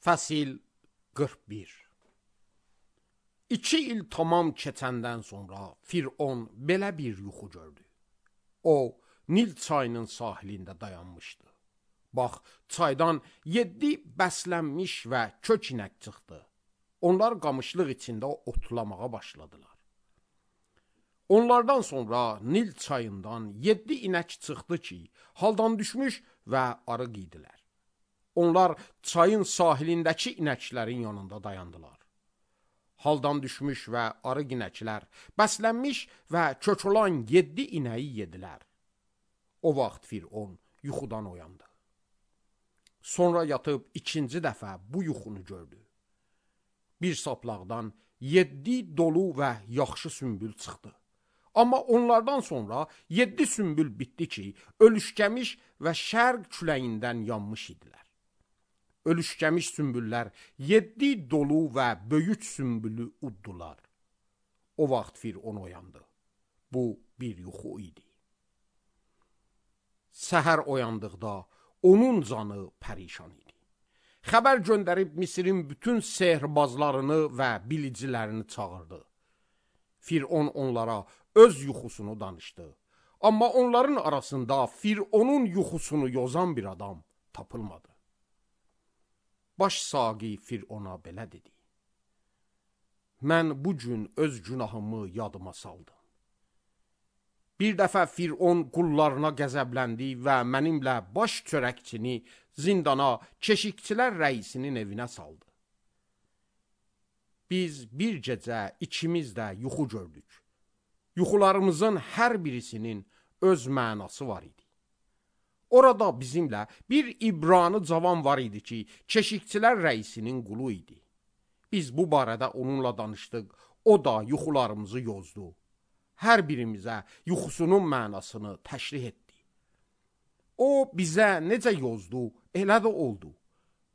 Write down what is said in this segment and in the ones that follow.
Fəsil 41. 2 il tamam keçəndən sonra Firon belə bir yuxu gördü. O, Nil çayının sahilində dayanmışdı. Bax, çaydan 7 bəslənmiş və kök inək çıxdı. Onlar qamışlıq içində otlamağa başladılar. Onlardan sonra Nil çayından 7 inək çıxdı ki, haldan düşmüş və arıq idilər. Onlar çayın sahilindəki inəklərin yanında dayandılar. Haldan düşmüş və arıq inəklər bəslənmiş və kök olan 7 inəyi yedilər. O vaxt Firon yuxudan oyandı. Sonra yatıb ikinci dəfə bu yuxunu gördü. Bir saplaqdan 7 dolu və yaxşı sümbül çıxdı. Amma onlardan sonra 7 sümbül bitdi ki, ölüşkəmiş və şərq küləyindən yanmış idilər. Ölüşkəmiş sümbüllər 7 dolu və böyük sümbülü uddular. O vaxt Firon oyandı. Bu bir yuxu idi. Səhər oyandıqda onun canı pərişan idi. Xəbər göndərib Misirin bütün sehrbazlarını və bilicilərini çağırdı. Firon onlara öz yuxusunu danışdı. Amma onların arasında Fironun yuxusunu yozan bir adam tapılmadı. Baş saqi Firona belə dedi: Mən bu gün öz günahımı yadıma saldım. Bir dəfə Firon qullarına qəzəbləndi və mənimlə baş çörəkçini zindana, keşikçilər rəisinin evinə saldı. Biz bir gecə ikimiz də yuxu gördük. Yuxularımızın hər birisinin öz mənası var idi. Orada bizimlə bir İbrani cavan var idi ki, keşikçilər rəisinin qulu idi. Biz bu barədə onunla danışdıq, o da yuxularımızı yozdu. Hər birimizə yuxusunun mənasını təşrih etdi. O bizə necə yozdu, elə də oldu.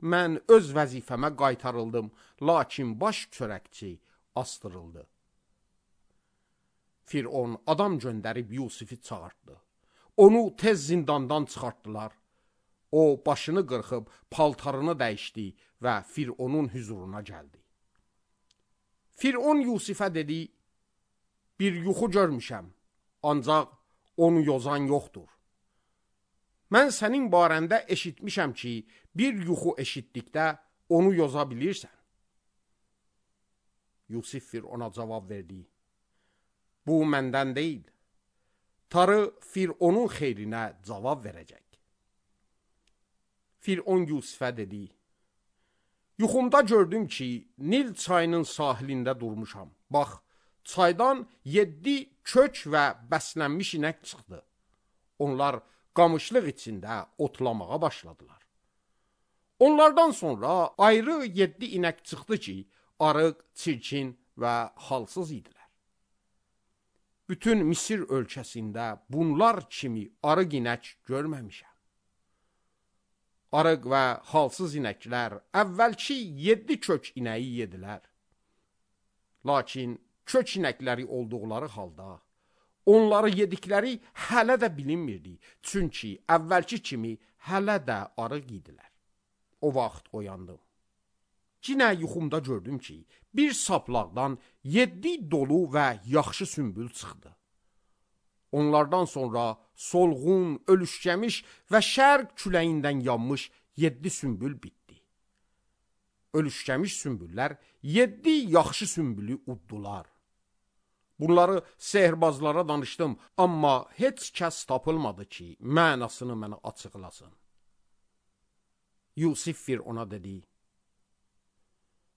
Mən öz vəzifəmə qaytarıldım, lakin baş çörəkçi astırıldı. Firon adam göndərib Yusifi çağırtdı. Onu tez zindandan çıxartdılar. O başını qırxıb paltarını dəyişdi və Fironun hüzuruna gəldi. Firon Yusifə dedi: Bir yuxu görmüşəm, ancaq onu yozan yoxdur. Mən sənin barəndə eşitmişəm ki, bir yuxu eşitdikdə onu yoza bilirsən. Yusif Firona cavab verdi: Bu məndən deyil. Tanrı Fironun xeyrinə cavab verəcək. Firon Yusifə dedi: Yuxumda gördüm ki, Nil çayının sahilində durmuşam. Bax, çaydan 7 kök və bəslənmiş inək çıxdı. Onlar qamışlıq içində otlamağa başladılar. Onlardan sonra ayrı 7 inək çıxdı ki, arıq, çirkin və halsız idilər. Bütün Misir ölkəsində bunlar kimi arıq inək görməmişəm. Arıq və halsız inəklər əvvəlki 7 kök inəyi yedilər. Lakin kök inəkləri olduqları halda onları yedikləri hələ də bilinmirdi. Çünki əvvəlki kimi hələ də arıq idilər. O vaxt oyandım. Yenə yuxumda gördüm ki, bir saplaqdan 7 dolu və yaxşı sümbül çıxdı. Onlardan sonra solğun, ölüşkəmiş və şərq küləyindən yanmış 7 sümbül bitdi. Ölüşkəmiş sümbüllər 7 yaxşı sümbülü uddular. Bunları sehrbazlara danışdım, amma heç kəs tapılmadı ki, mənasını mənə açıqlasın. Yusif Firona dedi: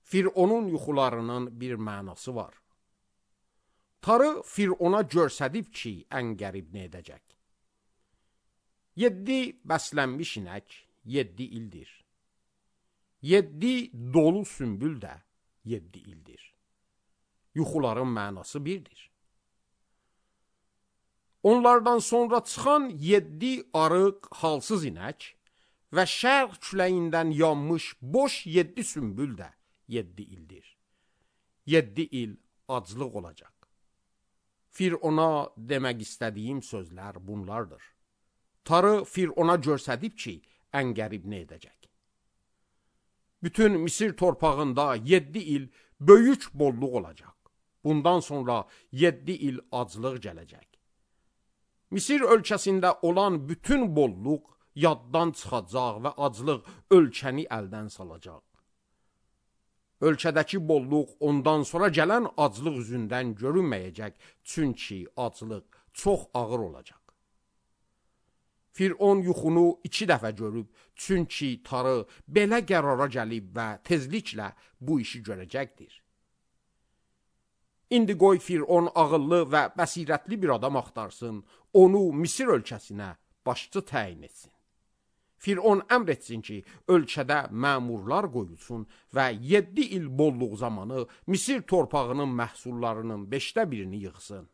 Fironun yuxularının bir mənası var. Tanrı Firona görsədib ki, ən qərib nə edəcək. 7 bəslənmiş inək 7 ildir. 7 dolu sümbül də 7 ildir. Yuxuların mənası birdir. Onlardan sonra çıxan 7 arıq, halsız inək və şərq küləyindən yanmış boş 7 sümbül də 7 ildir. 7 il aclıq olacaq. Firona demək istədiyim sözlər bunlardır. Tanrı Firona görsədib ki, ən qərib nə edəcək. Bütün Misir torpağında 7 il böyük bolluq olacaq. Bundan sonra 7 il aclıq gələcək. Misir ölkəsində olan bütün bolluq yaddan çıxacaq və aclıq ölkəni əldən salacaq. Ölkədəki bolluq ondan sonra gələn aclıq üzündən görünməyəcək, çünki aclıq çox ağır olacaq. Firon yuxunu 2 dəfə görüb, çünki tarı belə qərara gəlib və tezliklə bu işi görəcəkdir. İndi qoy Firon ağıllı və bəsirətli bir adam axtarsın, onu Misir ölkəsinə başçı təyin etsin. Firon əmr etsin ki, ölkədə məmurlar qoyulsun və 7 il bolluq zamanı Misir torpağının məhsullarının 5də birini yığsın.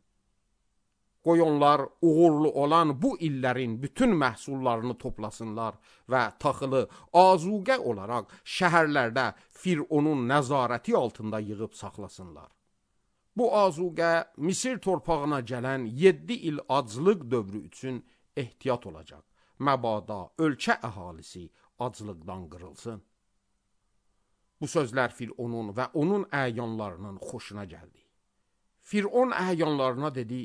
Qoy onlar uğurlu olan bu illərin bütün məhsullarını toplasınlar və taxılı azuqə olaraq şəhərlərdə Fironun nəzarəti altında yığıb saxlasınlar. Bu azuqə Misir torpağına gələn 7 il aclıq dövrü üçün ehtiyat olacaq. Məbada ölkə əhalisi aclıqdan qırılsın. Bu sözlər Fironun və onun əyanlarının xoşuna gəldi. Firon əyanlarına dedi,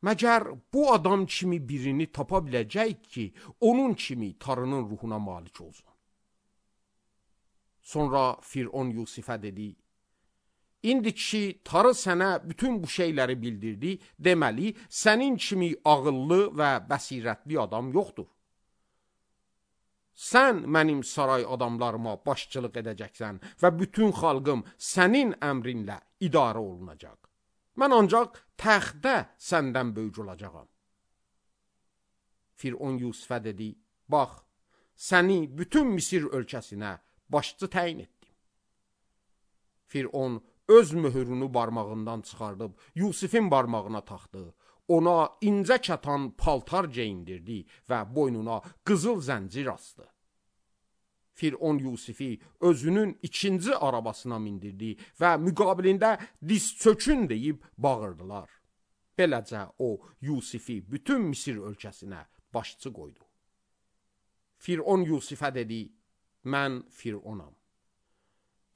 məgər bu adam kimi birini tapa biləcək ki, onun kimi tarının ruhuna malik olsun. Sonra Firon Yusifə dedi, İndi ki, tarı sənə bütün bu şeyləri bildirdi, deməli, sənin kimi ağıllı və bəsirətli adam yoxdur. Sən mənim saray adamlarıma başçılıq edəcəksən və bütün xalqım sənin əmrinlə idarə olunacaq. Mən ancaq təxtdə səndən böyük olacağam. Firon Yusifə dedi, bax, səni bütün Misir ölkəsinə başçı təyin etdim. Firon öz möhürünü barmağından çıxardıb Yusifin barmağına taxdı. Ona incə kətan paltar geyindirdi və boynuna qızıl zəncir asdı. Firon Yusifi özünün 2-ci arabasına mindirdi və müqabilində diz çökün deyib bağırdılar. Beləcə o Yusifi bütün Misir ölkəsinə başçı qoydu. Firon Yusifə dedi, mən Fironam.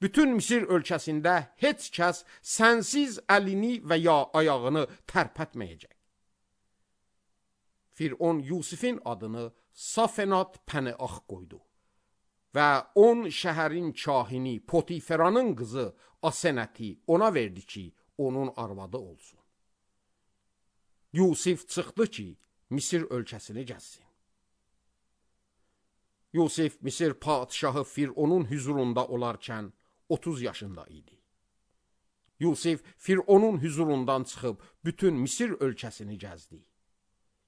Bütün Misir ölkəsində heç kəs sənsiz əlini və ya ayağını tərpətməyəcək. Firon Yusifin adını Safenat Pəneax qoydu və 10 şəhərin kahini Potiferanın qızı Asenəti ona verdi ki, onun arvadı olsun. Yusif çıxdı ki, Misir ölkəsini gəzsin. Yusif Misir padişahı Fironun hüzurunda olarkən 30 yaşında idi. Yusif Fironun hüzurundan çıxıb bütün Misir ölkəsini gəzdi.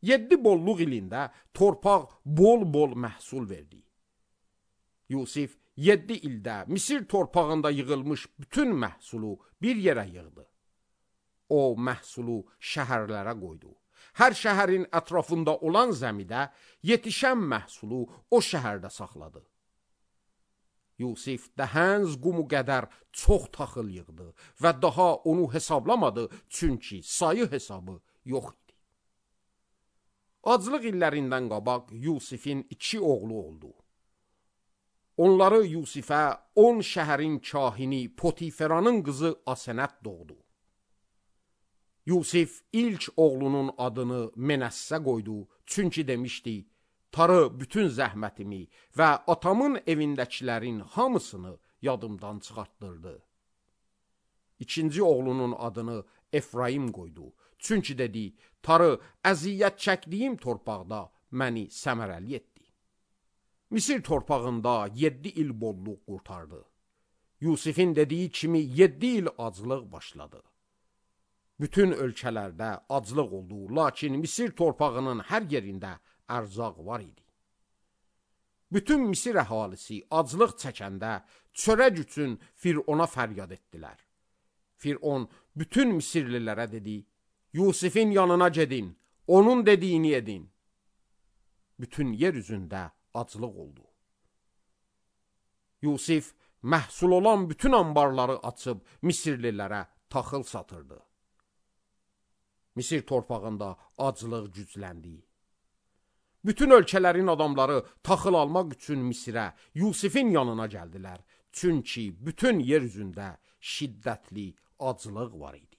7 bolluq ilində torpaq bol-bol məhsul verdi. Yusif 7 ildə Misir torpağında yığılmış bütün məhsulu bir yerə yığdı. O məhsulu şəhərlərə qoydu. Hər şəhərin ətrafında olan zəmidə yetişən məhsulu o şəhərdə saxladı. Yusif dəhənz qumu qədər çox taxıl yığdı və daha onu hesablamadı, çünki sayı hesabı yox idi. Aclıq illərindən qabaq Yusifin 2 oğlu oldu. Onları Yusifə 10 şəhərin kahini Potiferanın qızı Asenət doğdu. Yusif ilk oğlunun adını Menəssə qoydu, çünki demişdi, tarı bütün zəhmətimi və atamın evindəkilərin hamısını yadımdan çıxartdırdı. İkinci oğlunun adını Efraim qoydu, çünki dedi, tarı əziyyət çəkdiyim torpaqda məni səmərəli etdi. Misir torpağında 7 il bolluq qurtardı. Yusifin dediyi kimi 7 il aclıq başladı. Bütün ölkələrdə aclıq oldu, lakin Misir torpağının hər yerində ərzaq var idi. Bütün Misir əhalisi aclıq çəkəndə çörək üçün Firona fəryad etdilər. Firon bütün Misirlilərə dedi, Yusifin yanına gedin, onun dediyini edin. Bütün yer üzündə aclıq oldu. Yusif məhsul olan bütün ambarları açıb Misirlilərə taxıl satırdı. Misir torpağında aclıq gücləndi. Bütün ölkələrin adamları taxıl almaq üçün Misirə, Yusifin yanına gəldilər. Çünki bütün yer üzündə şiddətli aclıq var idi.